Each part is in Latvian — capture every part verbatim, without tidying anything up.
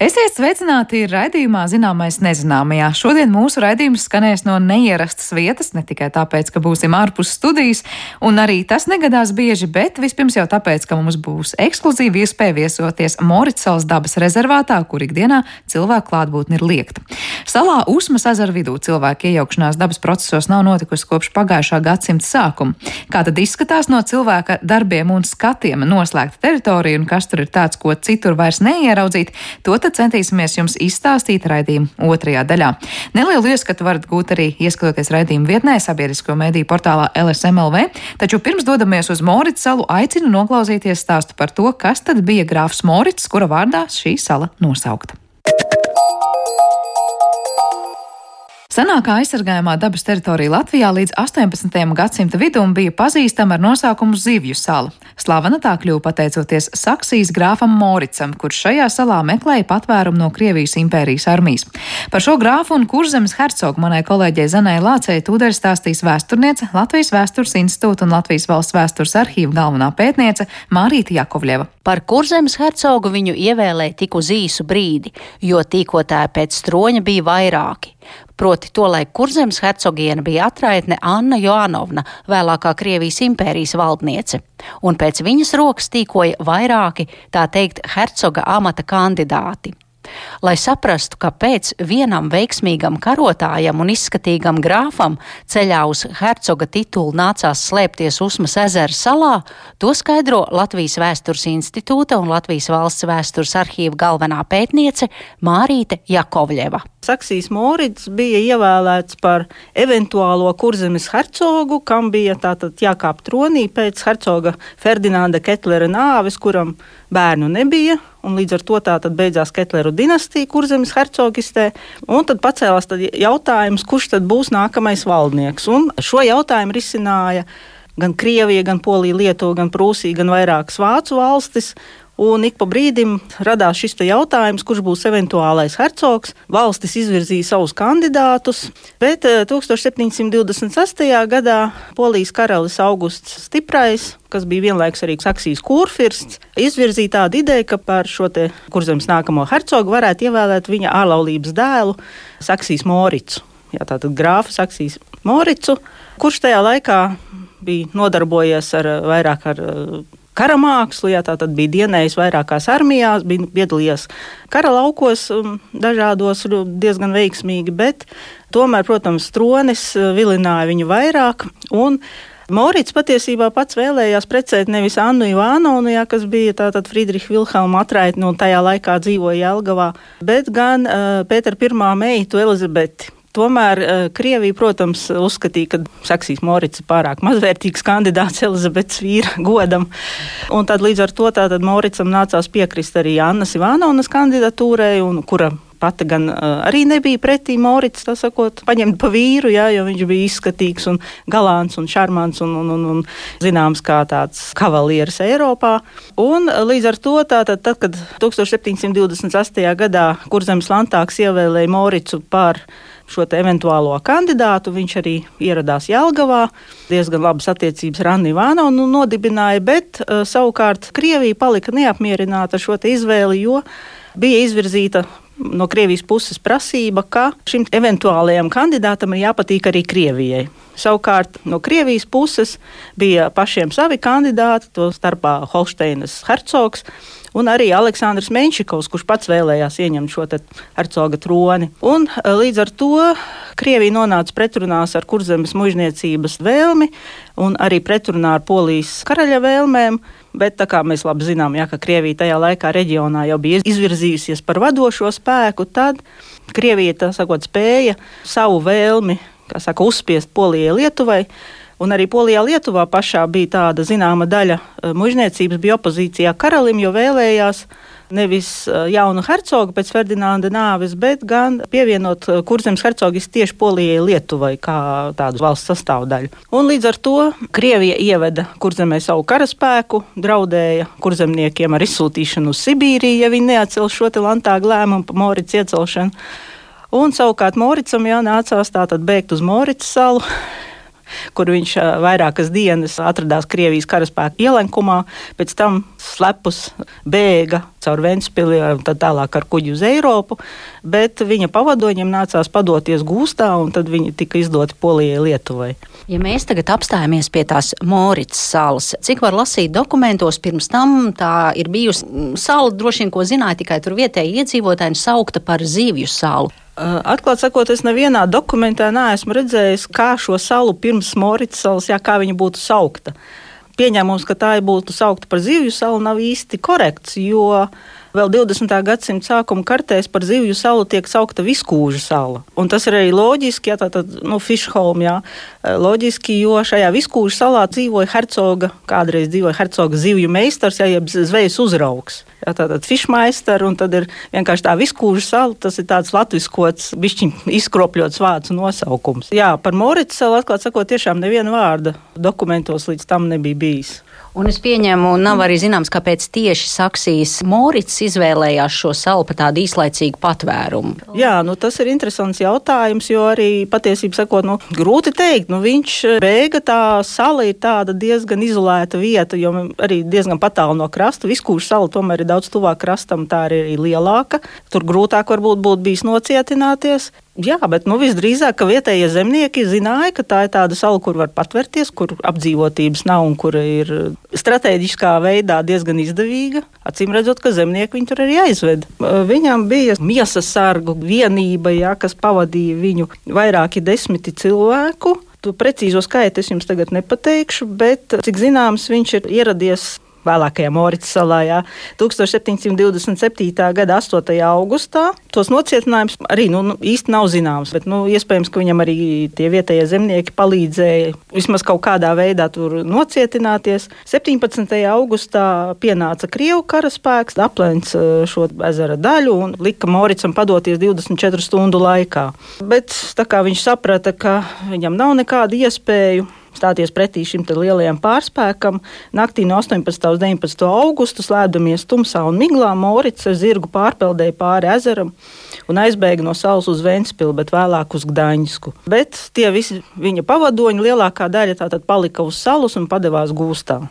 Esiet sveicināti raidījumā Zināmais nezināmajā. Šodien mūsu raidījums skanēs no neierastas vietas, ne tikai tāpēc, ka būsim ārpus studijas, un arī tas negadās bieži, bet vispirms jau tāpēc, ka mums būs ekskluzīva iespēja viesoties Moricsalas dabas rezervātā, kur ikdienā cilvēku klātbūtne ir liegta. Salā Usmas ezera vidū cilvēku iejaukšanās dabas procesos nav notikusi kopš pagājušā gadsimta sākuma. Kā tad izskatās no cilvēka darbiem un skatiem noslēgta teritorija, un kas tur ir tāds, ko citur vairs neieraudzīt, to tad centīsimies jums izstāstīt raidījuma otrajā daļā. Nelielu ieskatu varat gūt arī ieskatoties raidījuma vietnē sabiedrisko mediju portālā L S M L V, taču pirms dodamies uz Moricsalu aicinu noklausīties stāstu par to, kas tad bija grāfs Morits, kura vārdā šī sala nosaukta. Senākā aizsargājamā dabas teritorija Latvijā līdz astoņpadsmitajam gadsimta vidum bija pazīstama ar nosaukumu Zivju sala. Slavena tā kļuva pateicoties Saksijas grāfam Moricam, kurš šajā salā meklēja patvērumu no Krievijas impērijas armijas. Par šo grāfu un Kurzemes hercogu manai kolēģei Zanai Lācei tūdaļ stāstīs vēsturniece, Latvijas Vēstures institūta un Latvijas Valsts vēstures arhīva galvenā pētniece Mārīte Jakovļeva. Par Kurzemes hercogu viņu ievēlēja tik uz īsu brīdi, jo tīkotāji pēc stroņa bija vairāki. Proti tolaik Kurzemes hercogiene bija atraitne Anna Joanovna, vēlākā Krievijas impērijas valdniece, un pēc viņas rokas tīkoja vairāki, tā teikt, hercoga amata kandidāti. Lai saprastu, kāpēc vienam veiksmīgam karotājam un izskatīgam grāfam ceļā uz hercoga titulu nācās slēpties Usmas ezera salā, to skaidro Latvijas Vēstures institūta un Latvijas Valsts vēstures arhīva galvenā pētniece Mārīte Jakovļeva. Saksijas Morits bija ievēlēts par eventuālo Kurzemes hercogu, kam bija tātad jākāp tronī pēc hercoga Ferdinanda Ketlera nāves, kuram bērnu nebija, un līdz ar to tātad beidzās Ketleru dinastija Kurzemes hercogistē, un tad pacēlās tad jautājums, kurš tad būs nākamais valdnieks, un šo jautājumu risināja gan Krievija, gan Polija, Lietuva, gan Prūsija, gan vairākas Vācu valstis. Un ik pa brīdim radās šis jautājums, kurš būs eventuālais hercogs. Valstis izvirzīja savus kandidātus, bet tūkstoš septiņsimt divdesmit sestajā gadā Polijas karalis Augusts Stiprais, kas bija vienlaikus arī Saksijas kurfirsts, izvirzīja tādu ideju, ka par šo te Kurzemes nākamo hercogu varētu ievēlēt viņa ārlaulības dēlu Saksijas Moricu. Jā, tātad grāfu Saksijas Moricu, kurš tajā laikā bija nodarbojies ar vairāk ar karamākslu, jā, tātad bija dienējis vairākās armijās, bija piedalījies kara laukos dažādos diezgan veiksmīgi, bet tomēr, protams, tronis vilināja viņu vairāk, un Morits patiesībā pats vēlējās precēt nevis Annu Ivānovnu, jā, kas bija tātad Friedriha Vilhelma atraitne un tajā laikā dzīvoja Jelgavā, bet gan uh, Pētera pirmā meitu Elizabeti. Tomēr Krievija, protams, uzskatīja, ka Saksijas Morits ir pārāk mazvērtīgs kandidāts Elizabetes vīra godam. Un tad līdz ar to tātad Moricam nācās piekrist arī Annas Ivānovnas kandidatūrai, un kura pati gan uh, arī nebija pretī Morits, tā sakot, paņemt pa vīru, jā, jo viņš bija izskatīgs un galants un šarmants un, un, un, un zināms kā tāds kavalieris Eiropā. Un līdz ar to tātad, tad, kad tūkstoš septiņsimt divdesmit sestajā gadā Kurzemes landtāgs ievēlēja Moricu par šo te eventuālo kandidātu, viņš arī ieradās Jelgavā, diezgan labas attiecības ar Annu Ivānovnu nodibināja, bet uh, savukārt Krievija palika neapmierināta ar šo te izvēli, jo bija izvirzīta no Krievijas puses prasība, ka šim eventuālajam kandidātam ir jāpatīk arī Krievijai. Savukārt no Krievijas puses bija pašiem savi kandidāti, to starpā Holšteinas hercogs un arī Aleksandrs Menšikovs, kurš pats vēlējās ieņemt šo te hercoga troni. Un līdz ar to Krievija nonāca pretrunās ar Kurzemes mužniecības vēlmi un arī pretrunā ar Polijas karaļa vēlmēm, bet tā kā mēs labi zinām, jā, ka Krievija tajā laikā reģionā jau bija izvirzījusies par vadošo spēku, tad Krievija, tā sakot, spēja savu vēlmi, kā saka, uzspiest Polijai, Lietuvai. Un arī Polijā, Lietuvā pašā bija tāda zināma daļa mužniecības, bija opozīcijā karalim, jo vēlējās nevis jaunu hercogu pēc Ferdinanda nāves, bet gan pievienot Kurzemes hercogis tieši Polijai, Lietuvai kā tādu valsts sastāvdaļu. Un līdz ar to Krievija ieveda Kurzemē savu karaspēku, draudēja kurzemniekiem ar izsūtīšanu uz Sibīriju, ja viņi neatcel šo te landtāga lēmumu par Morits iecelšanu. Un savukārt Moricam jā, nācās tātad bēgt uz Morits salu. kur viņš vairākas dienas atradās Krievijas karaspēka ielenkumā, pēc tam slepus bēga caur Ventspili un tad tālāk ar kuģi uz Eiropu, bet viņa pavadoņiem nācās padoties gūstā, un tad viņi tika izdoti Polijai, Lietuvai. Ja mēs tagad apstājamies pie tās Moricas salas, cik var lasīt dokumentos, pirms tam tā ir bijusi sala, droši vien, ko zināja tikai tur vietēji iedzīvotāji, saukta par Zivju salu. Atklāt sakot, es nevienā dokumentā neesmu redzējis, kā šo salu pirms Moricas salas, jā, kā viņa būtu saukta. Pieņēmums, ka tā būtu saukta par Zivju salu, nav īsti korekts, jo vēl divdesmitā gadsimta sākuma kartēs par Zivju salu tiek saukta Viskūža sala. Un tas ir arī loģiski, jā, tātad, nu, Fišholm, jā, loģiski, jo šajā Viskūža salā dzīvoja hercoga, kādreiz dzīvoja hercoga zivju meistars, jā, jeb zvejas uzraugs. Jā, tātad fišmeister, un tad ir vienkārši tā Viskūža sala, tas ir tāds latviskots, bišķiņ izkropļots vārds nosaukums. Jā, par Moricas salu, atklāt sakot, tiešām neviena vārda dokumentos līdz tam nebija bijis. Un es pieņemu, nav arī zināms, kāpēc tieši Saksijas Moricas izvēlējās šo salu par tādu īslaicīgu patvērumu. Jā, nu tas ir interesants jautājums, jo arī patiesībā sakot, nu, grūti teikt, nu viņš bēga, tā sala ir tāda diezgan izolēta vieta, jo arī diezgan patālu no krasta. Viskūža sala tomēr ir daudz tuvāk krastam, tā ir arī lielāka. Tur grūtāk varbūt būtu bijis nocietināties. Jā, bet nu, visdrīzāk, ka vietējie zemnieki zināja, ka tā ir tāda sala, kur var patvērties, kur apdzīvotības nav un kur ir strateģiskā veidā diezgan izdevīga. Acīm redzot, ka zemnieki viņu tur arī aizved. Viņam bija miesas sargu vienība, jā, kas pavadīja viņu vairāki desmiti cilvēku. Tu precīzo skaitu es jums tagad nepateikšu, bet cik zināms, viņš ir ieradies vēlākajā Moricas salā, jā, tūkstoš septiņsimt divdesmit septītā gada astotajā augustā. Tos nocietinājums arī nu, īsti nav zināms, bet nu, iespējams, ka viņam arī tie vietējie zemnieki palīdzēja vismaz kaut kādā veidā tur nocietināties. septiņpadsmitajā augustā pienāca Krievu karaspēks, aplēns šo ezera daļu un lika Moricam padoties divdesmit četru stundu laikā. Bet tā kā viņš saprata, ka viņam nav nekāda iespēju stāties pretī šim te lielajam pārspēkam, naktī no astoņpadsmitā uz deviņpadsmito augustu slēpdamies tumsā un miglā, Morits ar zirgu pārpeldēja pāri ezeram un aizbēga no salas uz Ventspili, bet vēlāk uz Gdaņsku. Bet tie visi viņa pavadoņi, lielākā daļa tātad palika uz salas un padevās gūstā.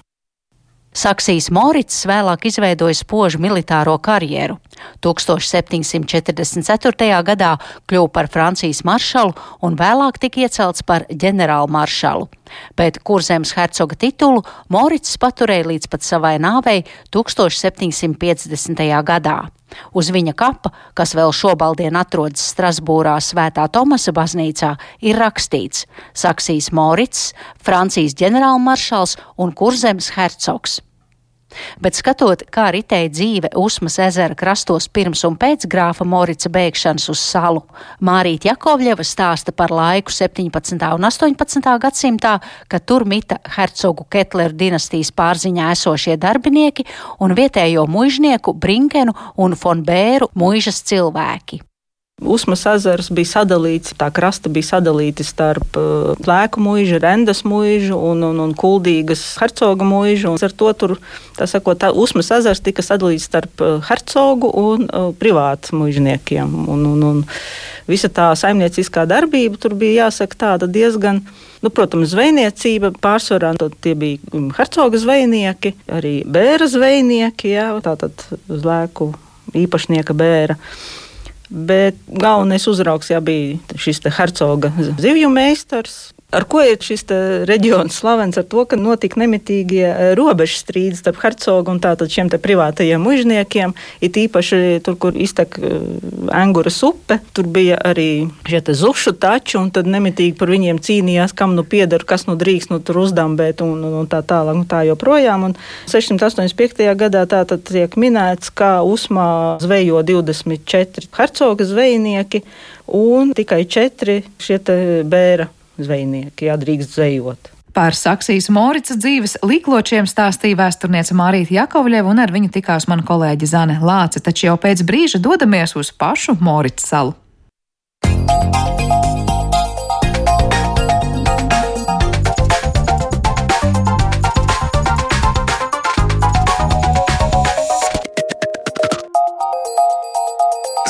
Saksijas Moricas vēlāk izveidoja spožu militāro karjeru. tūkstoš septiņsimt četrdesmit ceturtajā gadā kļuva par Francijas maršalu un vēlāk tika iecelts par ģenerālmaršalu. Bet Kurzemes hercoga titulu Moricas paturēja līdz pat savai nāvei tūkstoš septiņsimt piecdesmitajā gadā. Uz viņa kapa, kas vēl šobaldien atrodas Strasbūrā Svētā Tomasa baznīcā, ir rakstīts Saksijas Moricas, Francijas ģenerālmaršals un Kurzemes hercogs. Bet skatot, kā ritēja dzīve Usmas ezera krastos pirms un pēc grāfa Morica bēgšanas uz salu, Mārīte Jakovļeva stāsta par laiku septiņpadsmitā un astoņpadsmitā gadsimtā, kad tur mita hercogu Ketleru dinastijas pārziņā esošie darbinieki un vietējo muižnieku Brinkenu un Fon Bēru muižas cilvēki. Usmas ezers bija sadalīts, tā krasta bija sadalīta starp uh, Plēku muižu, Rendas muižu un, un, un Kuldīgas hercoga muižu. Un ar to tur, tā sakot, tā Usmas ezers tika sadalīts starp uh, hercogu un uh, privātu muižniekiem. Un, un, un visa tā saimnieciskā darbība tur bija, jāsaka, tāda diezgan, nu, protams, zvejniecība pārsvarā. Tie bija hercoga zvejnieki, arī bēra zvejnieki, jā, tātad Zlēku īpašnieka bēra. Bet galvenais uzraugs jā, bija šis te hercoga zivju meistars. Ar ko ir šis reģions slavens? Ar to, ka notika nemitīgie robežu strīdi starp hercogu un tātad šiem te privātajiem muižniekiem. It īpaši tur, kur iztek Enguras upe, tur bija arī šie te zušu tači, un tad nemitīgi par viņiem cīnījās, kam nu pieder, kas nu drīkst nu tur uzdambēt un, un, un tā tālāk, un tā joprojām. Un sešsimt astoņdesmit piektajā gadā tātad tiek minēts, ka Usmā zvejo divdesmit četri hercoga zvejnieki un tikai četri šie te bēra zvejnieki, jā, drīkst zvejot. Par Saksijas Moricas dzīves likločiem stāstīja vēsturniece Mārīte Jakovļeva, un ar viņu tikās mana kolēģe Zane Lāce, taču jau pēc brīža dodamies uz pašu Moricas salu.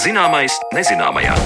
Zināmais nezināmajā.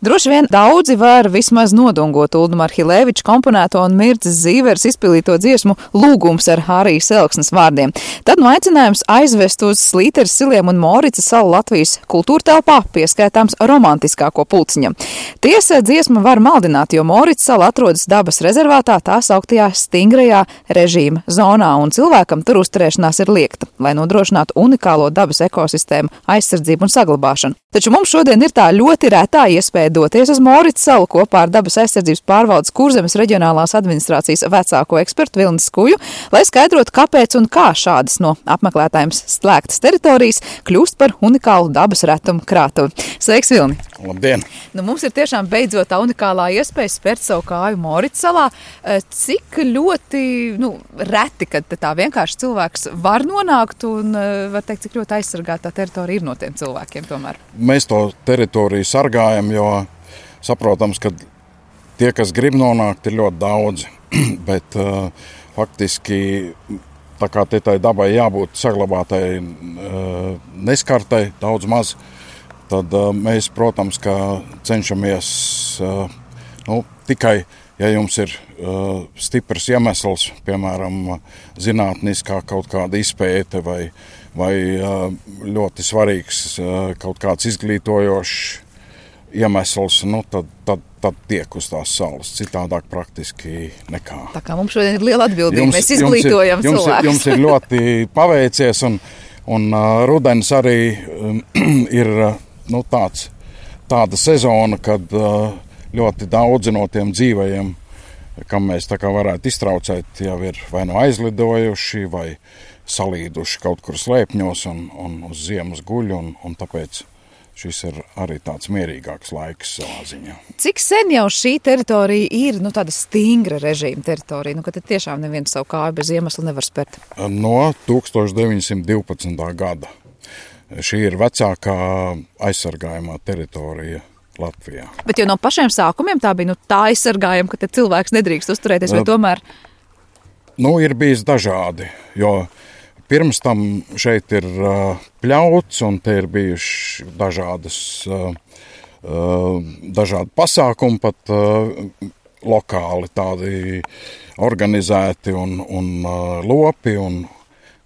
Droši vien daudzi var vismaz nodungot Uldu Marhilēviča komponēto un Mirdzes Zīveres izpildīto dziesmu Lūgums ar Hārijas Elksnes vārdiem. Tad no aicinājums aizvest uz Slīteres siliem un Morica salu Latvijas kultūrtelpā pieskaitāms romantiskāko pulciņam. Tiesa, dziesma var maldināt, jo Morica sala atrodas dabas rezervātā, tā sauktajā stingrajā režīma zonā, un cilvēkam tur uzturēšanās ir liekta, lai nodrošinātu unikālo dabas ekosistēmu aizsardzību un saglabāšanu. Taču mums šodien ir tā ļoti retā iespēja doties uz Morica salu kopā ar dabas aizsardzības pārvaldes Kurzemes reģionālās administrācijas vecāko ekspertu Vilni Skuju, lai skaidrotu, kāpēc un kā šādas no apmeklētājiem slēgtas teritorijas kļūst par unikālu dabas retumu krātuvi. Sveiks, Vilni! Labdien! Nu, mums ir tiešām beidzot tā unikālā iespēja spērt savu kāju Morica salā. Cik ļoti nu, reti, kad tā vienkārši cilvēks var nonākt un var teikt, cik ļoti aizsargāta tā teritorija ir no tiem cilvēkiem tomēr? Mēs to teritoriju sargājam, jo saprotams, ka tie, kas grib nonākt, ir ļoti daudzi. Bet uh, faktiski, tā kā te tai dabai jābūt saglabātai uh, neskartai, daudz maz, tad uh, mēs, protams, ka cenšamies uh, nu, tikai, ja jums ir uh, stiprs iemesls, piemēram, zinātniskā kaut kāda izpēte vai vai ļoti svarīgs kaut kāds izglītojošs iemesls, nu, tad, tad, tad tiek uz tās salas. Citādāk praktiski nekā. Tā kā mums šodien ir liela atbildība, jums, mēs izglītojam jums ir, cilvēkus. Jums ir ļoti paveicies, un, un uh, rudens arī um, ir nu, tāds, tāda sezona, kad uh, ļoti daudzi no tiem dzīvajiem, kam mēs tā kā varētu iztraucēt, jau ir vai nu aizlidojuši, vai salīduši kaut kur slēpņos un, un uz ziemas guļ, un, un tāpēc šis ir arī tāds mierīgāks laiks savā ziņā. Cik sen jau šī teritorija ir nu, tāda stingra režīma teritorija, nu, ka te tiešām neviens savu kāju bez iemesla nevar spērt? No tūkstoš deviņsimt divpadsmitā gada. Šī ir vecākā aizsargājumā teritorija Latvijā. Bet jau no pašiem sākumiem tā bija nu, tā aizsargājuma, ka te cilvēks nedrīkst uzturēties, vai tomēr? Nu, ir bijis dažādi, jo pirms tam šeit ir uh, pļauts, un te ir bijuši dažādas, uh, uh, dažādi pasākumi, pat uh, lokāli tādi organizēti, un, un uh, lopi, un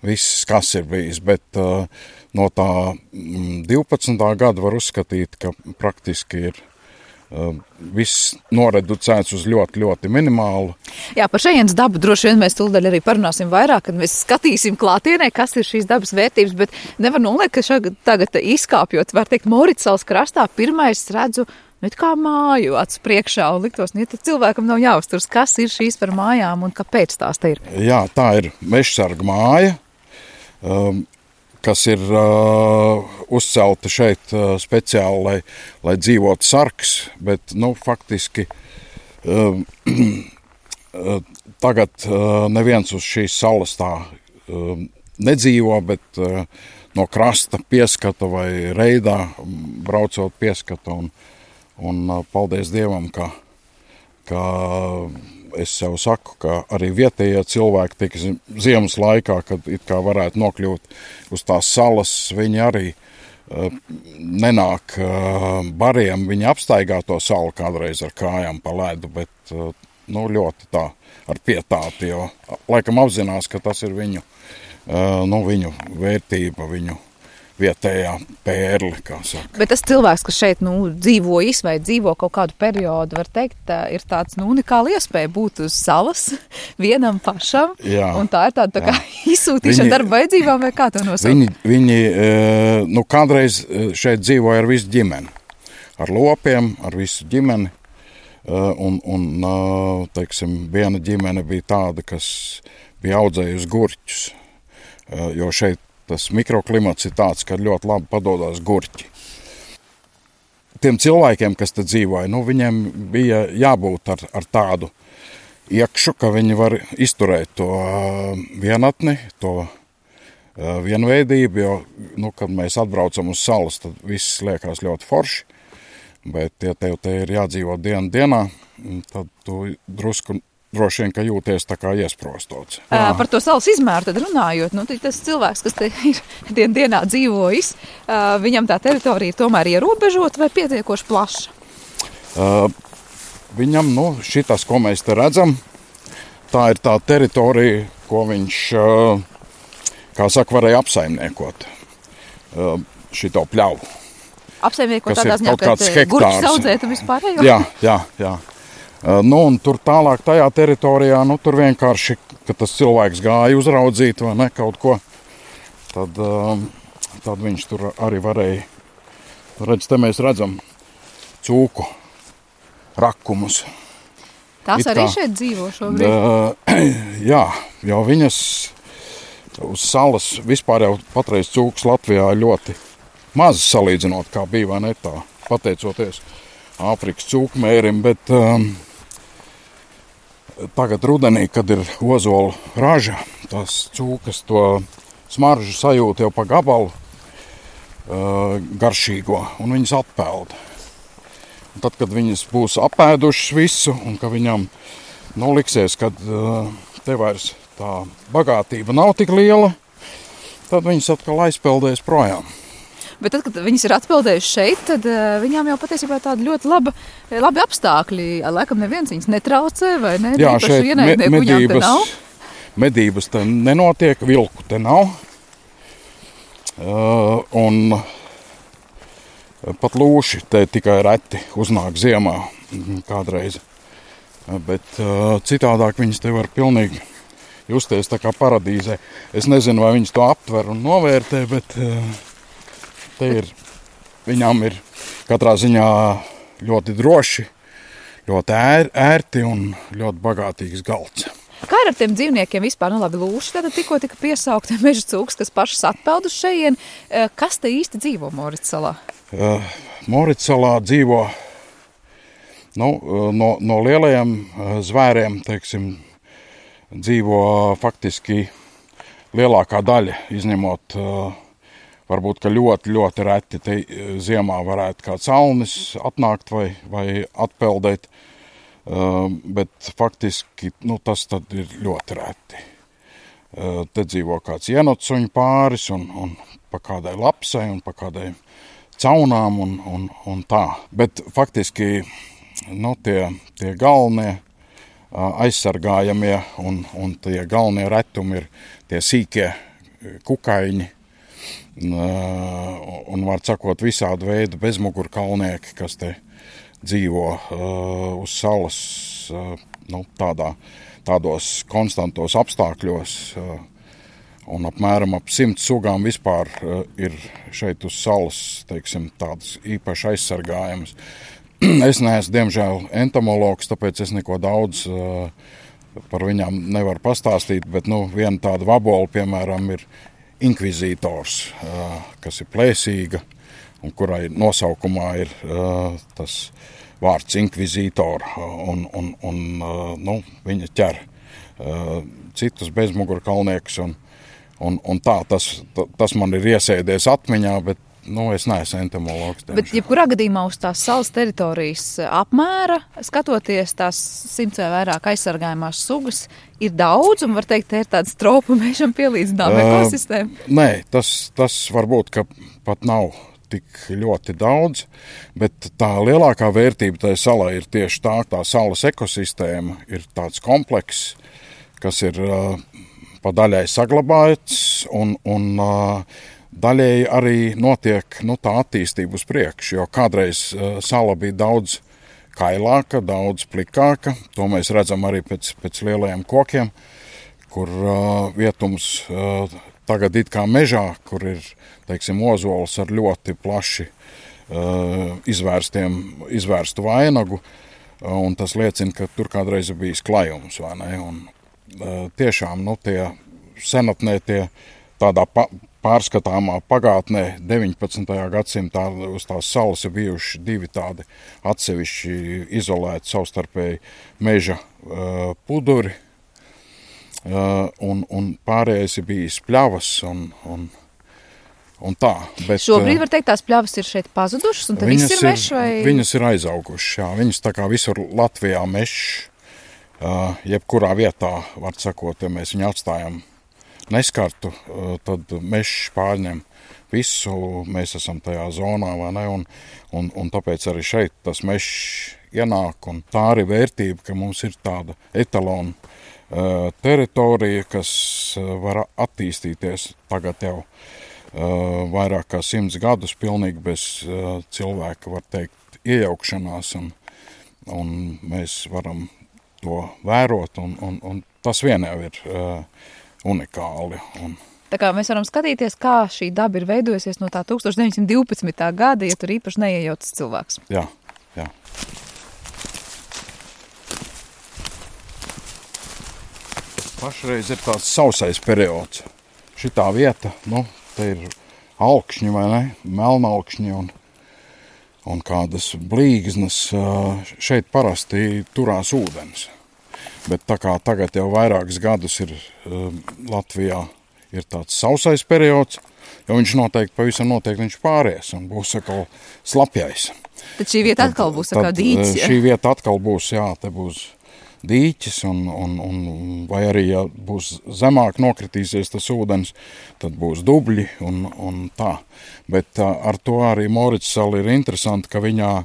viss, kas ir bijis. Bet uh, no tā mm, divpadsmitā gada var uzskatīt, ka praktiski ir uh, viss noreducēts uz ļoti, ļoti minimālu. Jā, par šejienes dabu droši vien mēs tūlīt arī parunāsim vairāk, kad mēs skatīsim klātienē, kas ir šīs dabas vērtības, bet nevar noliekt, ka šag, tagad izkāpjot, var teikt, Morica salas krastā, pirmais redzu, nu, it kā māju acu priekšā, un liktos, nu, ja cilvēkam nav jāuzturas, kas ir šīs par mājām un kāpēc tās te ir? Jā, tā ir mežsarga māja, um, kas ir uh, uzcelta šeit uh, speciāli, lai, lai dzīvotu sargs, bet, nu, faktiski uh, uh, tagad uh, neviens uz šīs salas tā uh, nedzīvo, bet uh, no krasta pieskata vai reidā braucot pieskata, un, un uh, paldies Dievam, ka, ka es sev saku, ka arī vietējie cilvēki tik ziemas laikā, kad it kā varētu nokļūt uz tās salas, viņi arī uh, nenāk uh, bariem, viņi apstaigā to salu kādreiz ar kājām pa ledu, bet uh, nu, ļoti tā ar pietāti, jo laikam apzinās, ka tas ir viņu, uh, nu, viņu vērtība, viņu vietējā pērli, kā saka. Bet tas cilvēks, kas šeit nu, dzīvojis vai dzīvo kaut kādu periodu, var teikt, tā ir tāds nu, unikāla iespēja būt uz salas vienam pašam. Jā, un tā ir tāda tā kā izsūtīšana viņi, darba vajadzībām, vai kā to nosaukt? Viņi, viņi nu, kādreiz šeit dzīvoja ar visu ģimeni. Ar lopiem, ar visu ģimeni. Un, un teiksim, viena ģimene bija tāda, kas bija audzējusi gurķus, jo šeit tas mikroklimats ir tāds, ka ļoti labi padodās gurķi. Tiem cilvēkiem, kas te dzīvoja, nu, viņiem bija jābūt ar, ar tādu iekšu, ka viņi var izturēt to vienatni, to vienveidību, jo, nu, kad mēs atbraucam uz salas, tad viss liekas ļoti forši, bet, ja tev te ir jādzīvo dienu dienā, tad tu drusku droši vien, ka jūties tā kā iesprostots. Jā. Par to salas izmēru tad runājot, nu, tas cilvēks, kas te ir dien dienā dzīvojis, viņam tā teritorija tomēr ierobežot vai pietiekoši plaša? Uh, viņam, nu, šitas, ko mēs te redzam, tā ir tā teritorija, ko viņš, uh, kā saka, varēja apsaimniekot uh, šito pļauju. Apsaimniekot tādā ziņā, ka gurķis audzēt un vispārējo? Jā, jā, jā. Uh, nu, un tur tālāk tajā teritorijā, nu, tur vienkārši, ka tas cilvēks gāja uzraudzīt vai ne kaut ko, tad, uh, tad viņš tur arī varēja. Redz, te mēs redzam cūku rakumus. Tās arī šeit dzīvo šobrīd? Uh, jā, jo viņas uz salas vispār jau patreiz cūkas Latvijā ļoti maz salīdzinot, kā bija vai ne tā, pateicoties Āfrikas cūkmērim, bet um, tagad rudenī, kad ir ozola raža, tās cūkas to smaržu sajūt jau pa gabalu uh, garšīgo, un viņas atpeld. Un tad, kad viņas būs apēdušas visu, un ka viņam nu, liksies, kad uh, te vairs tā bagātība nav tik liela, tad viņas atkal aizpeldēs projām. Bet tad, kad viņas ir atpeldējušas šeit, tad uh, viņām jau patiesībā tāda ļoti laba, labi apstākļi. Laikam neviens viņas netraucē vai ne? Jā, šeit me, medības, te medības te nenotiek, vilku te nav. Uh, un pat lūši te tikai reti uznāk ziemā kādreiz. Bet uh, citādāk viņas te var pilnīgi justies tā kā paradīzē. Es nezinu, vai viņas to aptver un novērtē, bet... Uh, Te ir, viņām ir katrā ziņā ļoti droši, ļoti ēr, ērti un ļoti bagātīgs galds. Kā ir ar tiem dzīvniekiem vispār? Nu labi, lūši tātad tikko tika piesaukti meža cūkas, kas pašas atpeldus šejien. Kas te īsti dzīvo Mōrica salā? Uh, Mōrica salā dzīvo nu, no, no lielajiem zvēriem, teiksim, dzīvo faktiski lielākā daļa, izņemot uh, varbūt, ka ļoti, ļoti reti te ziemā varētu kāds alnis atnākt vai, vai atpeldēt, uh, bet faktiski nu, tas tad ir ļoti reti. Uh, te dzīvo kāds ienotsuņu pāris un, un pa kādai lapsai un pa kādai caunām un, un, un tā. Bet faktiski nu, tie, tie galvenie uh, aizsargājamie un, un tie galvenie retumi ir tie sīkie kukaiņi, un var sakot visādu veidu bezmugurkalnieki, kas te dzīvo uh, uz salas uh, nu, tādā, tādos konstantos apstākļos. Uh, un apmēram ap simt sugām vispār uh, ir šeit uz salas, teiksim, tādas īpaši aizsargājamas. Es neesmu, diemžēl, entomologs, tāpēc es neko daudz uh, par viņām nevaru pastāstīt, bet nu, viena tāda vabola, piemēram, ir inkvizītors, kas ir plēsīga un kurai nosaukumā ir tas vārds inkvizītor un, un, un nu, viņa ķer citus bezmugurkalniekus un, un, un tā, tas, tas man ir iesēdies atmiņā, bet nu, es neesmu entomologs. Bet jebkurā gadījumā uz tās salas teritorijas apmēra, skatoties tās simts vai vairāk aizsargājumās sugas, ir daudz, un var teikt, te ir tāds tropu mežam pielīdzinām ekosistēma? Uh, nē, tas, tas varbūt, ka pat nav tik ļoti daudz, bet tā lielākā vērtība tai salai ir tieši tā, tā salas ekosistēma ir tāds komplekss, kas ir uh, pa daļai saglabāts un, un uh, daļēji arī notiek nu, tā attīstība uz priekšu, jo kādreiz uh, sala bija daudz kailāka, daudz plikāka. To mēs redzam arī pēc, pēc lielajiem kokiem, kur uh, vietums uh, tagad it kā mežā, kur ir, teiksim, ozols ar ļoti plaši uh, izvērstiem, izvērstu vainagu, uh, un tas liecina, ka tur kādreiz ir bijis klajums, vai ne? Un uh, tiešām, nu, tie senatnē, tie tādā pa pārskatāmā pagātnē deviņpadsmitajā gadsimtā uz tās salas ir bijuši divi tādi atsevišķi izolēti savstarpēji meža uh, puduri, uh, un, un pārējais ir bijis pļavas un, un, un tā. Bet, šobrīd var teikt, tās pļavas ir šeit pazudušas, un te viss ir mešs vai? Viņas ir aizaugušas, jā. Viņas tā kā visur Latvijā mešs, uh, jebkurā vietā, var sakot, ja mēs viņu atstājam neskartu, tad mešs pārņem visu, mēs esam tajā zonā, vai ne, un, un, un tāpēc arī šeit tas mešs ienāk, un tā arī vērtība, ka mums ir tāda etalona uh, teritorija, kas uh, var attīstīties tagad jau uh, vairāk kā simts gadus pilnīgi bez uh, cilvēka, var teikt, iejaukšanās, un, un mēs varam to vērot, un, un, un tas vien jau ir uh, unikāli. Un, Tā kā mēs varam skatīties, kā šī daba ir veidojusies no tā tūkstoš deviņsimt divpadsmitā gada, ja tur īpaši neiejaucas cilvēks. Jā, jā. Pašreiz ir tāds sausais periods. Šitā vieta, nu, te ir alkšņi vai ne, melnalkšņi un, un kādas blīgznas. Šeit parasti turās ūdens. Bet tā kā tagad jau vairākus gadus ir Latvijā ir tāds sausais periods, jo viņš noteikti, pavisam noteikti viņš pāries un būs atkal slapjais. Tad šī vieta atkal būs tā kā dīķis, ja? Šī vieta atkal būs, jā, te būs dīķis, un, un, un vai arī, ja būs zemāk nokritīsies tas ūdens, tad būs dubļi un, un tā. Bet ar to arī Morits sala ir interesanti, ka viņā,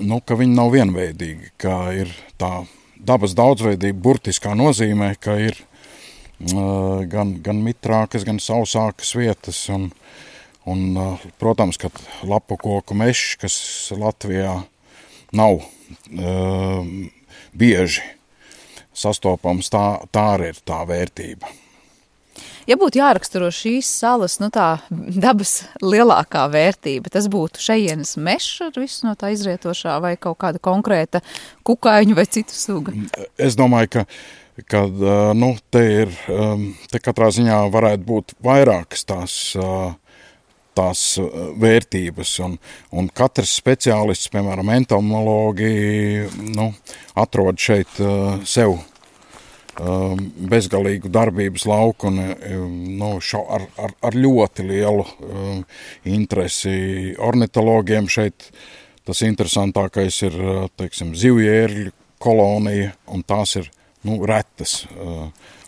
nu, ka viņa nav vienveidīga, ka ir tā dabas daudzveidība burtiskā nozīmē, ka ir Gan, gan mitrākas, gan sausākas vietas, un, un, protams, ka lapu koku mešs, kas Latvijā nav uh, bieži sastopams, tā, tā arī ir tā vērtība. Ja būtu jāraksturo šīs salas, nu tā dabas lielākā vērtība, tas būtu šejienes mešs ar visu no tā izrietošā vai kaut kāda konkrēta kukaiņu vai citu suga? Es domāju, ka kad, nu, te ir, te katrā ziņā varētu būt vairākas tās, tās vērtības, un, un katrs speciālists, piemēram, entomologi, nu, atrod šeit sev bezgalīgu darbības lauku un, nu, šo, ar, ar, ar ļoti lielu interesi ornitologiem šeit. Tas interesantākais ir, teiksim, zivjērļu kolonija, un tās ir Nu, retas.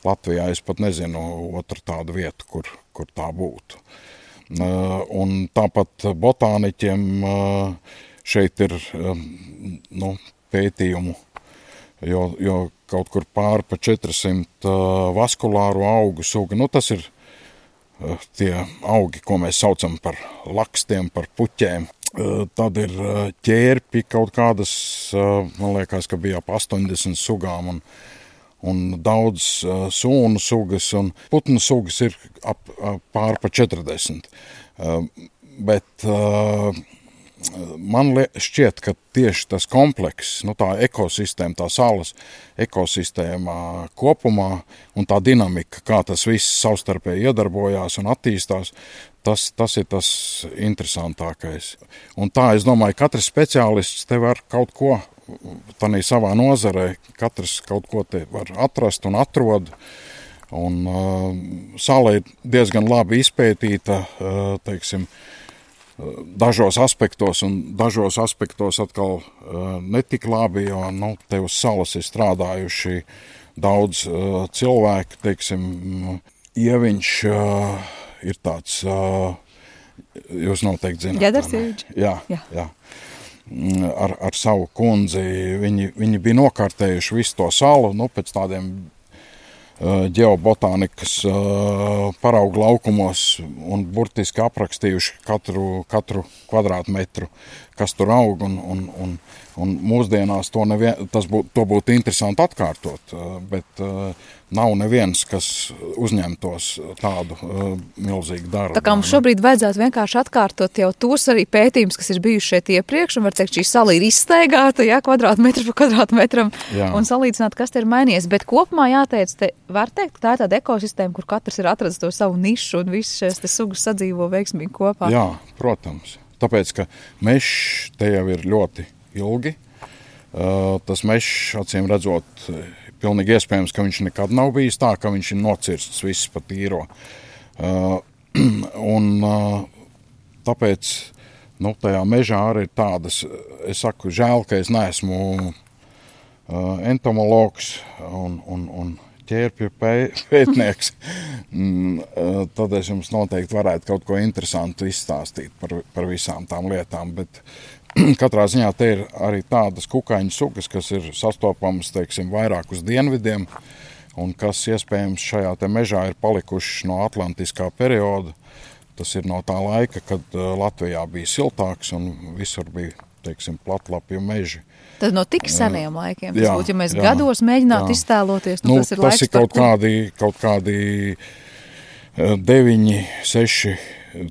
Latvijā es pat nezinu otru tādu vietu, kur, kur tā būtu. Un tāpat botāniķiem šeit ir nu, pētījumu, jo, jo kaut kur pāri pa četrsimt vaskulāru augu suga. Nu, tas ir tie augi, ko mēs saucam par lakstiem, par puķēm. Tad ir ķērpi kaut kādas, man liekas, ka bija ap astoņdesmit sugām, un un daudz uh, sūnu sugas, un putnu sugas ir ap, ap pār pa četrdesmit. Uh, bet uh, man šķiet, ka tieši tas komplekss, nu tā ekosistēma, tā salas ekosistēma kopumā un tā dinamika, kā tas viss savstarpēji iedarbojās un attīstās, tas, tas ir tas interesantākais. Un tā, es domāju, katrs speciālists te var kaut ko tanī savā nozarē, katrs kaut ko te var atrast un atrod, un uh, sala ir diezgan labi izpētīta, uh, teiksim, dažos aspektos, un dažos aspektos atkal uh, netik labi, jo, nu, te uz salas ir strādājuši daudz uh, cilvēku, teiksim, Ieviņš uh, ir tāds, uh, jūs noteikti zināt. Ģedars Ieviņš? Jā, jā. jā. Ar, ar savu kundzi, viņi, viņi bija nokārtējuši visu to salu, nu, pēc tādiem uh, ģeobotānikas uh, paraugu laukumos un burtiski aprakstījuši katru, katru kvadrātmetru, kas tur aug, un, un, un, un mūsdienās to, nevien, tas būt, to būtu interesanti atkārtot, uh, bet uh, nav neviens, kas uzņemtos tādu uh, milzīgu darbu. Tā kā mums šobrīd vajadzētu vienkārši atkārtot jau tos arī pētījumus, kas ir bijuši šeit iepriekš, un var teikt, šī sala ir izstaigāta, jā, kvadrātmetru pa kvadrātmetram, jā. Un salīdzināt, kas te ir mainījies. Bet kopumā jāteic, te var teikt, ka tā ir tāda ekosistēma, kur katrs ir atradis to savu nišu, un visas šīs te sugas sadzīvo veiksmīgi kopā. Jā, protams. Tāpēc, ka mešs te jau ir ļoti ilgi. Uh, tas mešs, acīm redzot, pilnīgi iespējams, ka viņš nekad nav bijis tā, ka viņš ir nocirsts viss pa tīro. Uh, un uh, tāpēc, nu, tajā mežā arī ir tādas, es saku, žēl, ka es neesmu uh, entomologs un, un, un ķērpju pētnieks. mm, uh, tad es jums noteikti varētu kaut ko interesantu izstāstīt par, par visām tām lietām, bet katrā ziņā te ir arī tādas kukaiņu sugas, kas ir sastopamas, teiksim, vairāk uz dienvidiem, un kas iespējams šajā te mežā ir palikušas no atlantiskā perioda. Tas ir no tā laika, kad Latvijā bija siltāks un visur bija, teiksim, platlapju meži. Tad no tik seniem laikiem, tas jā, būtu, ja mēs jā, gados mēģinātu jā. iztēloties, nu, nu, tas ir tas laiks, ir kaut par kur... kādi, kaut kādi deviņi, seši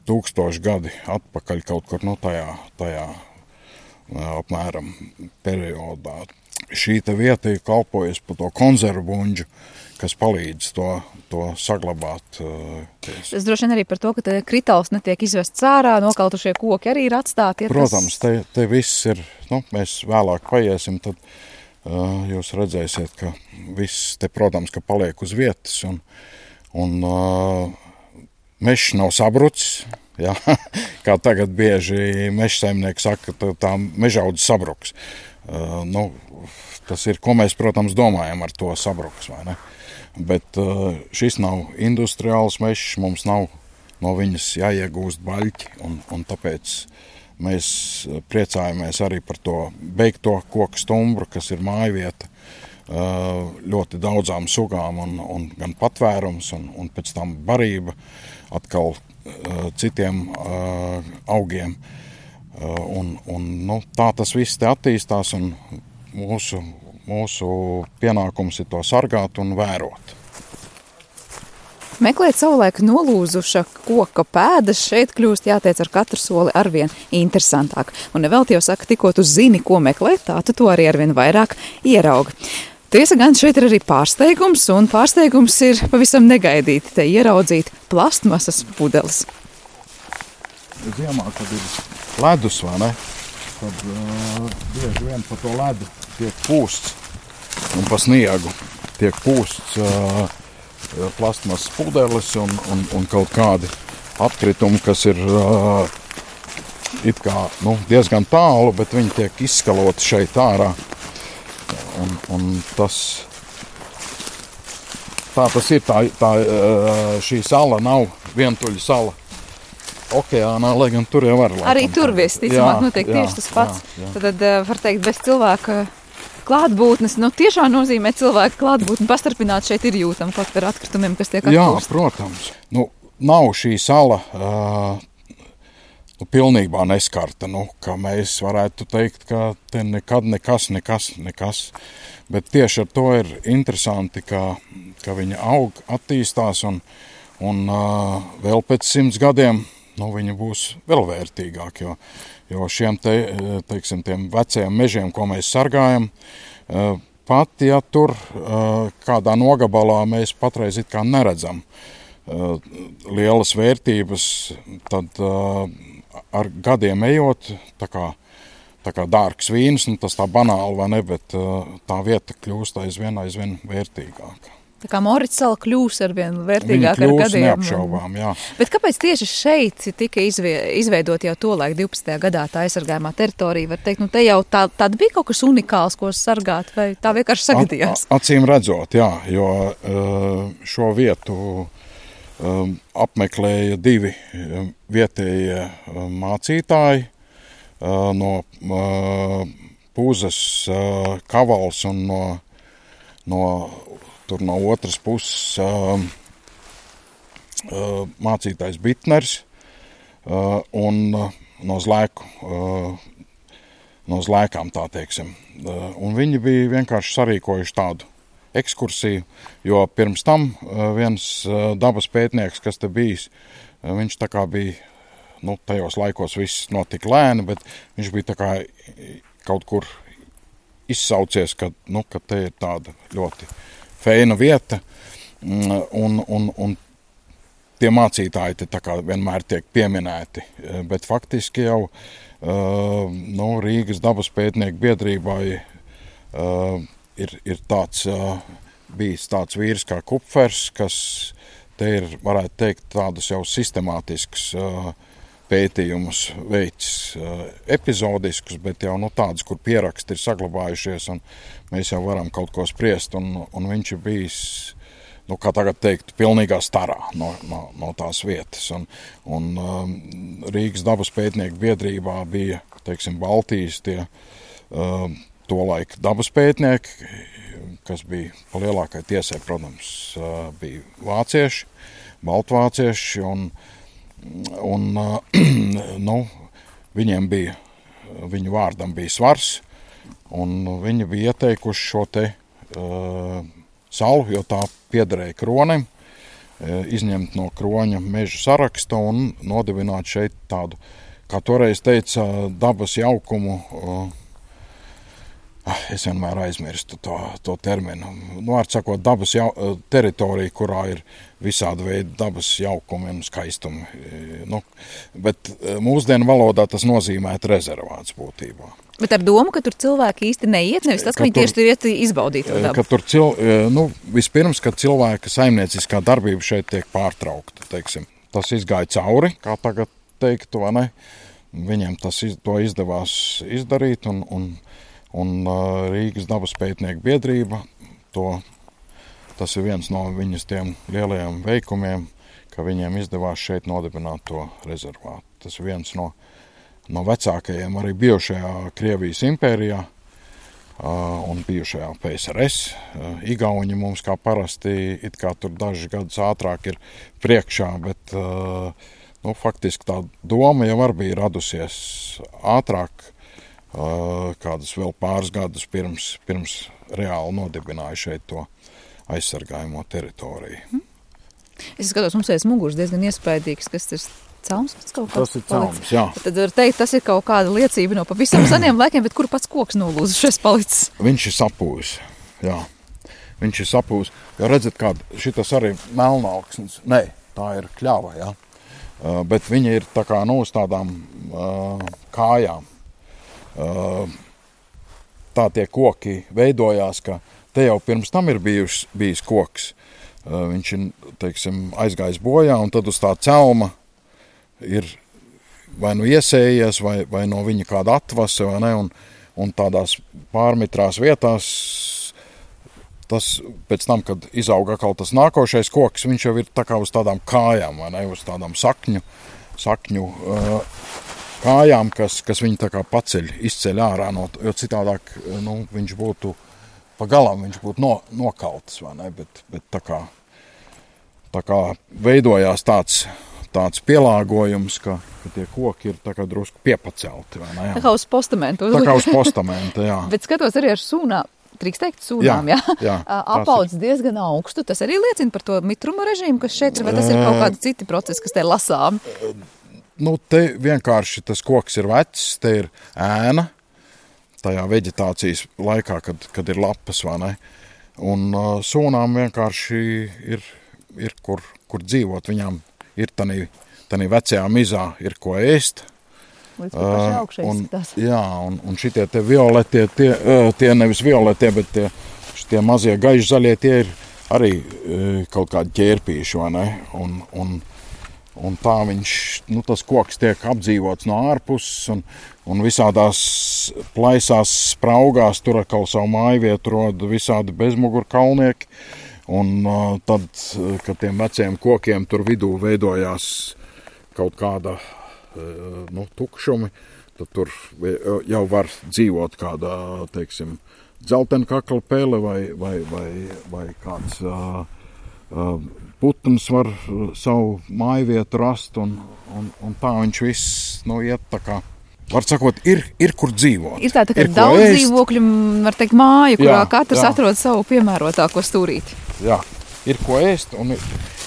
tūkstoši gadi atpakaļ kaut kur no tajā, tajā apmēram periodā. Šī te vieta ir kalpojas par to konzervu buņģu, kas palīdz to, to saglabāt. Es droši vien arī par to, ka te kritāls netiek izvests ārā, nokautušie koki arī ir atstāti. Ja Protams, tas... te, te viss ir, nu, mēs vēlāk paiesim, tad uh, jūs redzēsiet, ka viss te, protams, ka paliek uz vietas, un, un uh, mežs nav sabrucis, jā, kā tagad bieži meža saimnieki saka, ka tā mežaudze sabruks. Uh, nu, tas ir, ko mēs, protams, domājam ar to sabruks, vai ne? Bet uh, šis nav industriāls mežs, mums nav no viņas jāiegūst baļķi, un, un tāpēc mēs priecājamies arī par to beigto koku stumbru, kas ir mājvieta uh, ļoti daudzām sugām, un, un gan patvērums, un, un pēc tam barība atkal uh, citiem uh, augiem. Uh, un, un, nu, tā tas viss te attīstās, un mūsu, mūsu pienākums ir to sargāt un vērot. Meklēt savulaik nolūzuša koka pēdas šeit kļūst, jāteic, ar katru soli arvien interesantāk. Un nevelti jau saka, tikko tu zini, ko meklēt, tā tu to arī arvien vairāk ieraugi. Tiesa gan šeit ir arī pārsteigums, un pārsteigums ir pavisam negaidīti te ieraudzīt plastmasas pudeles. Ziemā, kad ir ledus, vai ne, tad uh, bieži vien pa to ledu tiek pūsts, un pa sniegu tiek pūsts uh, plastmasas pudeles un, un, un kaut kādi atkritumi, kas ir uh, it kā nu, diezgan tālu, bet viņi tiek izskaloti šeit ārā. Un, un tas, tā tas ir, tā, tā, šī sala nav vientuļa sala okeānā, lai gan tur jau var. Arī tur visticamāk notiek tieši tas pats. Jā, jā. Tad var teikt, bez cilvēka klātbūtnes, nu tiešām nozīmē cilvēka klātbūtni pastarpināt šeit ir jūtam kaut par atkritumiem, kas tiek atpūst. Jā, protams. Nu, nav šī sala uh, nu, pilnībā neskarta, nu, ka mēs varētu teikt, ka te nekad nekas, nekas, nekas. Bet tieši ar to ir interesanti, ka, ka viņa aug, attīstās un, un uh, vēl pēc simts gadiem nu, viņa būs vēl vērtīgāk, jo Jo šiem te, teiksim, tiem vecajiem mežiem, ko mēs sargājam, pat, ja tur kādā nogabalā mēs patreiz it kā neredzam lielas vērtības, tad ar gadiem ejot, tā kā, tā kā dārgs vīns, nu tas tā banāli, vai ne, bet tā vieta kļūst aizvien, aizvien vērtīgāka. Tā kā Morits sala kļūs arvien vērtīgāk ar gadiem. Viņa kļūs neapšaubām, jā. Bet kāpēc tieši šeit tika izveidot jau tolaik divpadsmitajā gadā tā aizsargājumā teritorija? Var teikt, nu te jau tā, tāda bija kaut kas unikāls, ko sargāt, vai tā vienkārši sagadījās? At, acīm redzot, jā, jo šo vietu apmeklēja divi vietējie mācītāji no Pūzes Kavals un no, no tur no otras puses uh, uh, mācītājs Bitners uh, un uh, no Zlēku, uh, no Zlēkām tā teiksim. Uh, un viņi bija vienkārši sarīkojuši tādu ekskursiju, jo pirms tam uh, viens uh, dabas pētnieks, kas te bijis, uh, viņš tā kā bija, nu, tajos laikos viss notika lēni, bet viņš bija tā kā kaut kur izsaucies, ka, nu, ka te ir tāda ļoti feina vieta, un, un, un tie mācītāji te tā kā vienmēr tiek pieminēti, bet faktiski jau uh, nu, Rīgas dabas pētnieku biedrībai uh, ir, ir tāds, uh, bijis tāds vīrs kā Kupfers, kas te ir, varētu teikt, tādas jau sistemātiskas uh, pētījumus veids uh, epizodiskus, bet jau nu, tādas, kur pieraksti ir saglabājušies, un mēs jau varam kaut ko spriest, un, un viņš ir bijis, nu, kā tagad teikt, pilnīgā starā no, no, no tās vietas. Un, un um, Rīgas dabas pētnieku biedrībā bija teiksim, Baltijas tie uh, tolaik dabas pētnieki, kas bija pa lielākai tiesai, protams, uh, bija vācieši, baltvācieši, un, un uh, nu, viņiem bija, viņu vārdam bija svars, un viņi bija ieteikuši šo te uh, salu, jo tā piederēja kronim, izņemt no kroņa meža saraksta un nodibināt šeit tādu, kā toreiz teica, dabas jaukumu. Es vienmēr aizmirstu to, to terminu. Nu, var sakot, dabas jau, teritorija, kurā ir visādi veidi dabas jaukumi un skaistumi. Nu, bet mūsdienu valodā tas nozīmētu rezervāts būtībā. Bet ar domu, ka tur cilvēki īsti neiet, nevis tas, ka, ka viņi tieši tur iet izbaudīt to dabu. Ka tur cil, nu, vispirms, kad cilvēka saimnieciskā darbība šeit tiek pārtraukta, teiksim. Tas izgāja cauri, kā tagad teiktu, vai ne? Viņiem tas iz, to izdevās izdarīt, un, un, un Rīgas dabas pētnieku biedrība, to, tas ir viens no viņas tiem lielajiem veikumiem, ka viņiem izdevās šeit nodibināt to rezervātu. Tas ir viens no no vecākajiem arī bijušajā Krievijas impērijā uh, un bijušajā P S R S. Uh, Igauņi mums kā parasti it kā tur dažus gadus ātrāk ir priekšā, bet uh, nu, faktiski tā doma jau arī bija radusies ātrāk, uh, kādus vēl pāris gadus pirms, pirms reāli nodibināja šeit to aizsargājumo teritoriju. Hmm. Es skatos, mums aiz muguras diezgan iespaidīgs, kas tas Cauns, kas kaut tas ir cauns, jā. Tad var teikt, tas ir kaut kāda liecība no pavisam seniem laikiem, bet kur pats koks nolūzušies palicis? Viņš ir sapūs, jā. Viņš ir sapūs. Jo redzat, kāda šitas arī melnauksnes. Nē, tā ir kļava, jā. Uh, bet viņa ir tā kā, nu, uz tādām uh, kājām. Uh, tā tie koki veidojās, ka te jau pirms tam ir bijis, bijis koks. Uh, viņš ir, teiksim, aizgājis bojā, un tad uz tā celma ir vai nu iesējies, vai, vai no viņa kāda atvase, vai ne, un, un tādās pārmitrās vietās, tas pēc tam, kad izauga atkal tas nākošais koks, viņš jau ir tā kā uz tādām kājām, vai ne, uz tādām sakņu, sakņu uh, kājām, kas, kas viņu tā kā paceļ, izceļ ārā, no, jo citādāk, nu, viņš būtu pa galam, viņš būtu no, nokaltas, vai ne, bet, bet tā kā, tā kā veidojās tāds, tāds pielāgojums, ka, ka tie koki ir tā kā drusku piepacelti, vai ne? Jā. Tā kā uz postamenta. Tā kā uz postamenta, jā. Bet skatos arī ar sūnām, drīkst teikt sūnām, jā? jā, jā apaudzis diezgan augstu. Tas arī liecina par to mitruma režīmu, kas šeit ir, vai tas ir kaut kādi citi procesi, kas te lasām? Nu, te vienkārši tas koks ir vecs, te ir ēna, tajā veģetācijas laikā, kad, kad ir lapas, vai ne? Un uh, sūnām vienkārši ir, ir kur, kur dzīvot, viņām ir tanī, tanī vecajā mizā ir ko ēst. Līdz kā paši augšai un, izskatās. Jā, un, un šitie te violetie, tie, tie nevis violetie, bet tie, šitie mazie gaiši zaļie, tie ir arī kaut kādi ķērpīši, vai ne? Un, un, un tā viņš, nu tas koks tiek apdzīvots no ārpuses, un, un visādās plaisās spraugās, tur atkal savu mājvietu rod visādi bezmugurkalnieki. Un uh, tad, kad tiem veciem kokiem tur vidū veidojās kaut kāda uh, nu, tukšumi, tad tur jau var dzīvot kāda, teiksim, dzeltenkakla pele vai, vai, vai, vai kāds uh, uh, putns var savu mājvietu rast, un, un, un tā viņš viss, nu, iet tā kā. Var sakot, ir, ir kur dzīvot. Ir tā, tā kā daudz ēst. Dzīvokļu, var teikt, māju, kurā jā, katrs jā. Atrod savu piemērotāko stūrīti. Jā, ir ko ēst un ir,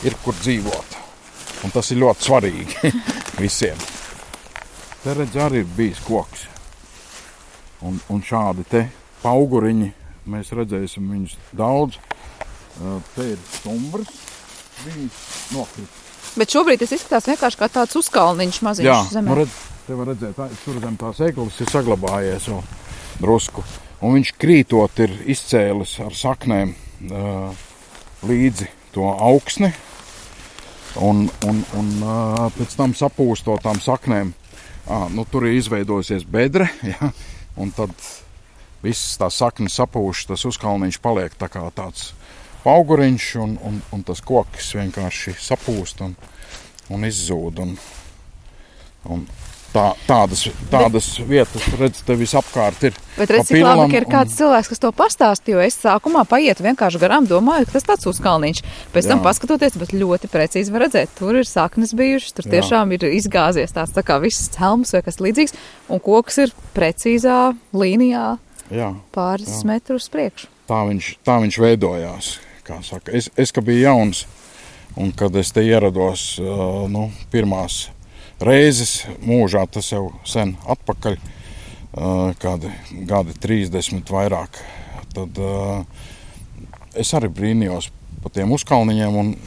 ir kur dzīvot. Un tas ir ļoti svarīgi visiem. Te redz arī ir bijis koks. Un, un šādi te pauguriņi, mēs redzēsim viņus daudz. Te ir stumbrs, bijis nokrit. Bet šobrīd tas izskatās vienkārši kā tāds uzkalniņš maziņš jā, zemē. Nu redz, te var redzēt, tā, tur zem tās eglis ir saglabājies vēl drusku. Un viņš krītot ir izcēlis ar saknēm uh, līdzi to augsni. Un, un, un uh, pēc tam sapūstot tām saknēm, uh, nu, tur ir izveidojusies bedre, ja, un tad visas tās saknes sapūš, tas uzkalniņš paliek tā kā tāds pauguriņš, un, un, un tas koks vienkārši sapūst un, un izzūd. Un, un Tā, tādas, tādas bet, vietas, redz, te visapkārt ir. Bet redz, cik labi, ka ir kāds un... cilvēks, kas to pastāst, jo es sākumā paietu vienkārši garām, domāju, ka tas tāds uzkalniņš. Pēc jā. Tam paskatoties, bet ļoti precīzi var redzēt, tur ir saknes bijušas, tur tiešām jā. Ir izgāzies tāds tā kā viss helms vai kas līdzīgs, un koks ir precīzā līnijā jā. Pāris jā. Metrus priekšu. Tā viņš, tā viņš veidojās, kā saka. Es, es ka biju jauns, un kad es te ierados, uh, nu, pirmās reizes mūžā, tas jau sen atpakaļ, kādi gadi trīsdesmit vairāk, tad es arī brīnījos pa tiem uzkalniņiem un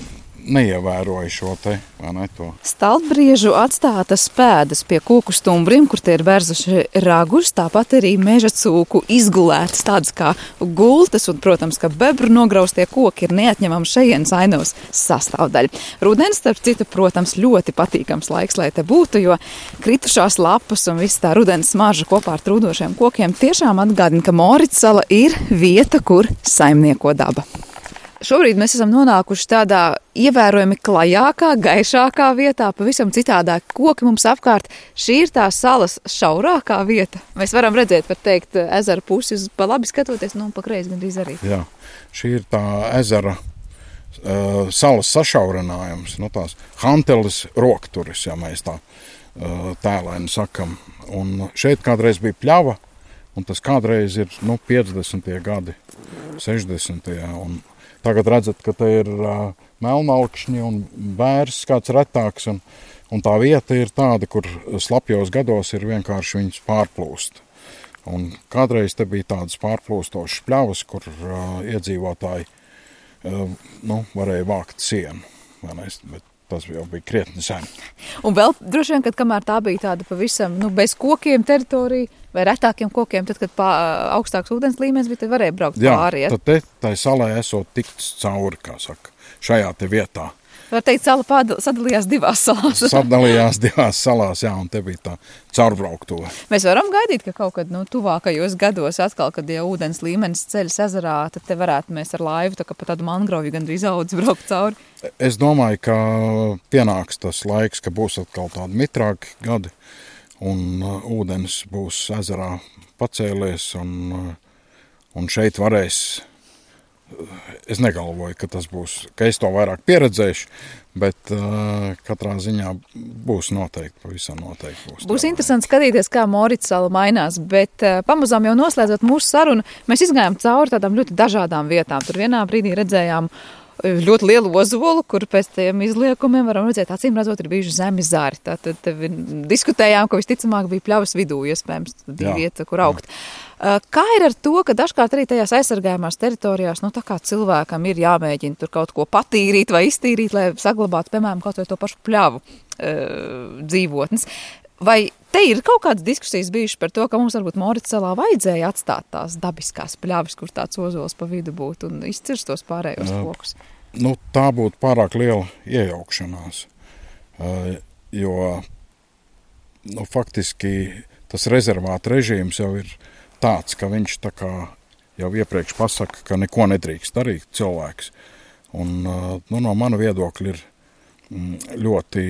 neievēroju šo te, vai ne, to. Staltbriežu atstātas pēdas pie koku stumbriem, kur tie ir vērzuši ragus, tāpat arī meža cūku izgulētas tādas kā gultas, un, protams, ka bebru nograustie koki ir neatņemama šejienes ainavas sastāvdaļa. Rudens, starp citu, protams, ļoti patīkams laiks, lai te būtu, jo kritušās lapas un viss tā rudens smarža kopā ar trūdošiem kokiem tiešām atgādina, ka Moritsala ir vieta, kur saimnieko daba. Šobrīd mēs esam nonākuši tādā ievērojami klajākā, gaišākā vietā, pavisam citādāk koki mums apkārt. Šī ir tā salas šaurākā vieta. Mēs varam redzēt, var teikt, ezera pusi uz pa labi skatoties, nu un pa kreisi gandrīz arī. Jā, šī ir tā ezera uh, salas sašaurinājums, nu tās Hanteles rokturis, ja mēs tā uh, tēlaini sakam. Un šeit kādreiz bija pļava, un tas kādreiz ir, nu, piecdesmitie gadi, sešdesmitie un tagad redzat, ka te ir uh, melnalkšņi un bērs kāds retāks, un, un tā vieta ir tāda, kur slapjos gados ir vienkārši viņas pārplūst. Un kādreiz te bija tādas pārplūstošas pļavas, kur uh, iedzīvotāji uh, nu, varēja vākt sienu, vai ne? Bet tas jau bija krietni sen. Un vēl droši vien, kad kamēr tā bija tāda pavisam, nu, bez kokiem teritorija vai retākiem kokiem, tad, kad pā, augstāks ūdens līmenis bija, tad varēja braukt jā, pāri. Jā, tad te, tai salai esot tikts cauri, kā saka, šajā te vietā. Var teikt, sala pādal, sadalījās divās salās. Sadalījās divās salās, jā, un te bija tā caurbrauktuve. Mēs varam gaidīt, ka kaut kad, nu, tuvākajos gados atkal, kad ja ūdens līmenis ceļas ezerā, tad te varētu mēs ar laivu, tā kā pa tādu mangrovi gandrīz audz braukt cauri. Es domāju, ka pienāks tas laiks, ka būs atkal tādi mitrāki gadi, un uh, ūdens būs ezerā pacēlies, un, uh, un šeit varēs. Es negalvoju, ka tas būs, ka es to vairāk pieredzēšu, bet uh, katrā ziņā būs noteikti, pavisam noteikti būs. Būs interesanti skatīties, kā Moritsala mainās, bet uh, pamazām jau noslēdzot mūsu sarunu, mēs izgājām cauri tādām ļoti dažādām vietām. Tur vienā brīdī redzējām ļoti lielu ozolu, kur pēc tiem izliekumiem varam redzēt, acīm redzot, ir bijuši zemi zari. Tātad diskutējām, ka visticamāk bija pļavas vidū, iespējams, bija vieta, kur augt. Jā. Kā ir ar to, ka dažkārt arī tajās aizsargājumās teritorijās, nu tā kā cilvēkam ir jāmēģina tur kaut ko patīrīt vai iztīrīt, lai saglabātu, piemēram, kaut vai to pašu pļavu e, dzīvotnes. Vai te ir kaut kādas diskusijas bijušas par to, ka mums varbūt Moritsalā vajadzēja atstāt tās dabiskās pļavas, kur tāds ozols pa vidu būtu un izcirst tos pārējos kokus? Nu, tā būtu pārāk liela iejaukšanās, jo nu, faktiski tas rezervāta režīms jau ir tāds, ka viņš tā kā jau iepriekš pasaka, ka neko nedrīkst darīt cilvēks. Un nu, no mana viedokļa ir ļoti,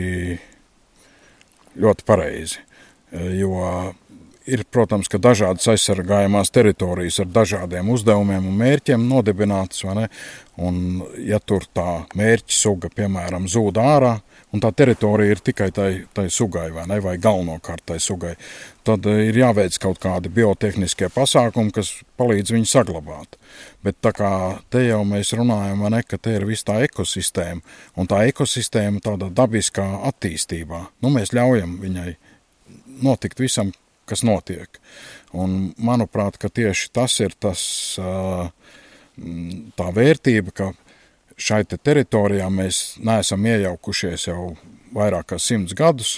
ļoti pareizi, jo ir, protams, ka dažādas aizsargājumās teritorijas ar dažādiem uzdevumiem un mērķiem nodibinātas, vai ne? Un ja tur tā mērķa suga, piemēram, zūd ārā, un tā teritorija ir tikai tai, tai sugai, vai ne, vai galvenokārt tai sugai, tad ir jāveic kaut kādi biotehniskie pasākumi, kas palīdz viņu saglabāt. Bet tā kā te jau mēs runājam, vai ne, ka te ir viss tā ekosistēma, un tā ekosistēma tādā dabiskā attīstībā, nu mēs ļaujam viņai notikt visam, kas notiek. Un manuprāt, ka tieši tas ir tas, tā vērtība, ka šai te teritorijā mēs neesam iejaukušies jau vairāk kā simts gadus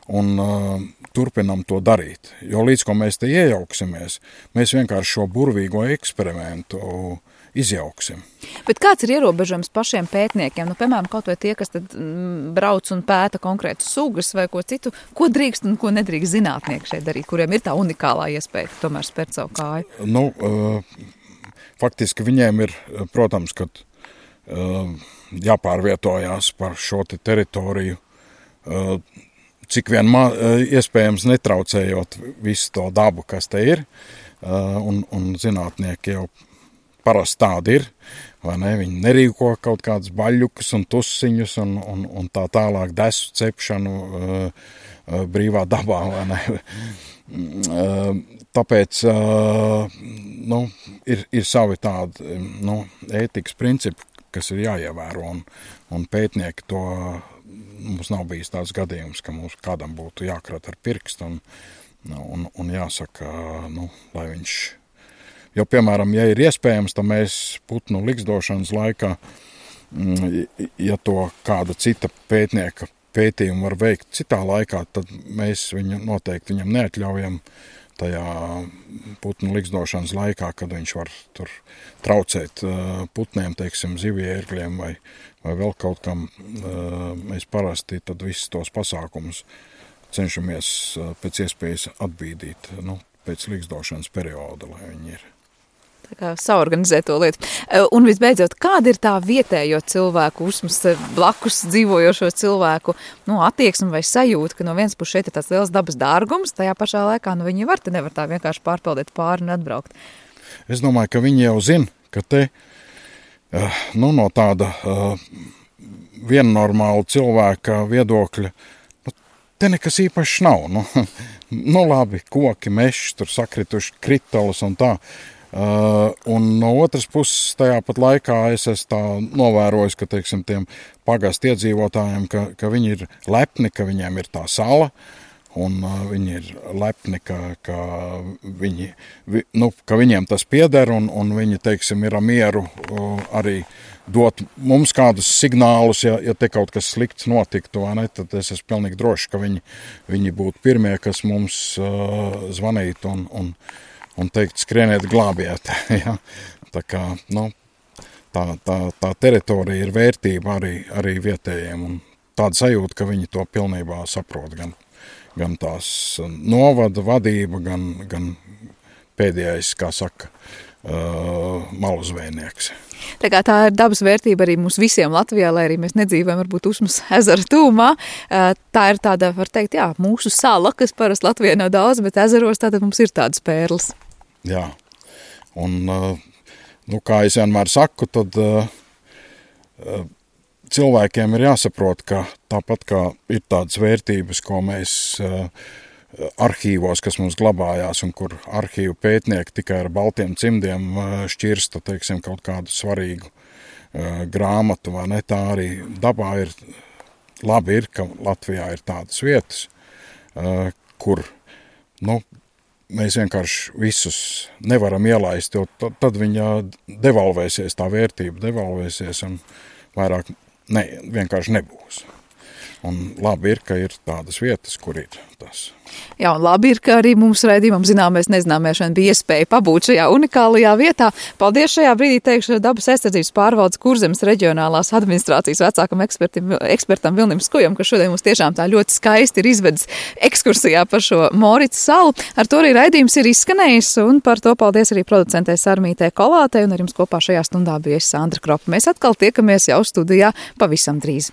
un uh, turpinam to darīt. Jo līdz ko mēs te iejauksimies, mēs vienkārši šo burvīgo eksperimentu izjauksim. Bet kāds ir ierobežojums pašiem pētniekiem? Nu, piemēram, kaut vai tie, kas tad mm, brauc un pēta konkrētas sugas vai ko citu, ko drīkst un ko nedrīkst zinātnieki šeit darīt, kuriem ir tā unikālā iespēja tomēr spērt savu kāju? Nu, uh, faktiski viņiem ir, protams, kad uh, jāpārvietojās par šo te teritoriju uh, cik vien ma, iespējams netraucējot visu to dabu, kas te ir, un, un zinātnieki jau parasti tādi ir, vai ne? Viņi nerīko kaut kādus baļļukus un tusiņus un, un, un tā tālāk desu cepšanu brīvā dabā, vai ne? Tāpēc nu, ir, ir savi tādi nu, ētikas principi, kas ir jāievēro, un, un pētnieki to, mums nav bijis tāds gadījums, ka mums kādam būtu jākrat ar pirkstu, un, un, un jāsaka, nu, lai viņš, jo, piemēram, ja ir iespējams, tad mēs putnu likstošanas laikā, ja to kāda cita pētnieka pētījumu var veikt citā laikā, tad mēs viņu noteikti viņam neatļaujam tajā putnu likstošanas laikā, kad viņš var tur traucēt putniem, teiksim, zivjērgļiem vai, vai vēl kaut kam. Mēs parasti tad visus tos pasākumus cenšamies pēc iespējas atbīdīt, nu, pēc likstošanas perioda, lai viņi ir. Tā kā saorganizēt to lietu. Un visbeidzot, kāda ir tā vietējo cilvēku, uzmas blakus dzīvojošo cilvēku nu, attieksme vai sajūta, ka no vienas puses šeit ir tāds liels dabas dārgums, tajā pašā laikā nu, viņi var te nevar tā vienkārši pārpeldēt pāri un atbraukt? Es domāju, ka viņi jau zina, ka te nu, no tāda viennormāla cilvēka viedokļa nu, te nekas īpašs nav. Nu, nu labi, koki, mešs, tur sakrituši kritalas un tā. Uh, un no otras puses tajā pat laikā es esmu tā novērojis, ka, teiksim, tiem pagastu iedzīvotājiem, ka, ka viņi ir lepni, ka viņiem ir tā sala, un uh, viņi ir lepni, ka, ka, viņi, vi, nu, ka viņiem tas pieder, un, un viņi, teiksim, ir mieru uh, arī dot mums kādus signālus, ja, ja te kaut kas slikts notiktu, vai ne, tad es esmu pilnīgi droši, ka viņi, viņi būtu pirmie, kas mums uh, zvanītu un, un un teikt, skrieniet, glābiet. Ja? Tā kā, nu, tā, tā, tā teritorija ir vērtība arī, arī vietējiem, un tāda sajūta, ka viņi to pilnībā saprot, gan, gan tās novada vadība, gan, gan pēdējais, kā saka, uh, malu zvejnieks. Tā kā tā ir dabas vērtība arī mums visiem Latvijā, lai arī mēs nedzīvojam varbūt Usmas ezera tūmā. Tā ir tāda, var teikt, jā, mūsu sala, kas parasti Latvijā nav daudz, bet ezeros tātad mums ir tādas pērles. Jā, un, nu, kā es vienmēr saku, tad cilvēkiem ir jāsaprot, ka tāpat kā ir tādas vērtības, ko mēs arhīvos, kas mums glabājās un kur arhīvu pētnieki tikai ar baltiem cimdiem šķirsta, teiksim, kaut kādu svarīgu grāmatu, vai ne, tā arī dabā ir, labi ir, ka Latvijā ir tādas vietas, kur, nu, mēs vienkārši visus nevaram ielaist, jo tad viņa devalvēsies, tā vērtība devalvēsies un vairāk ne, vienkārši nebūs. Un labi ir, ka ir tādas vietas, kur ir tas. Jā, un labi ir, ka arī mums raidījumam zināmais nezināmēšana bija iespēja pabūt šajā unikālajā vietā. Paldies šajā brīdī teikšu dabas aizsardzības pārvaldes Kurzemes reģionālās administrācijas vecākam ekspertim, ekspertam Vilnim Skujam, ka šodien mums tiešām tā ļoti skaisti ir izvedis ekskursijā par šo Moricas salu. Ar to arī raidījums ir izskanējis, un par to paldies arī producentei Sarmītei Kolātei, un ar jums kopā šajā stundā bija es Sandra Kropa. Mēs atkal tiekamies jau studijā pavisam drīz.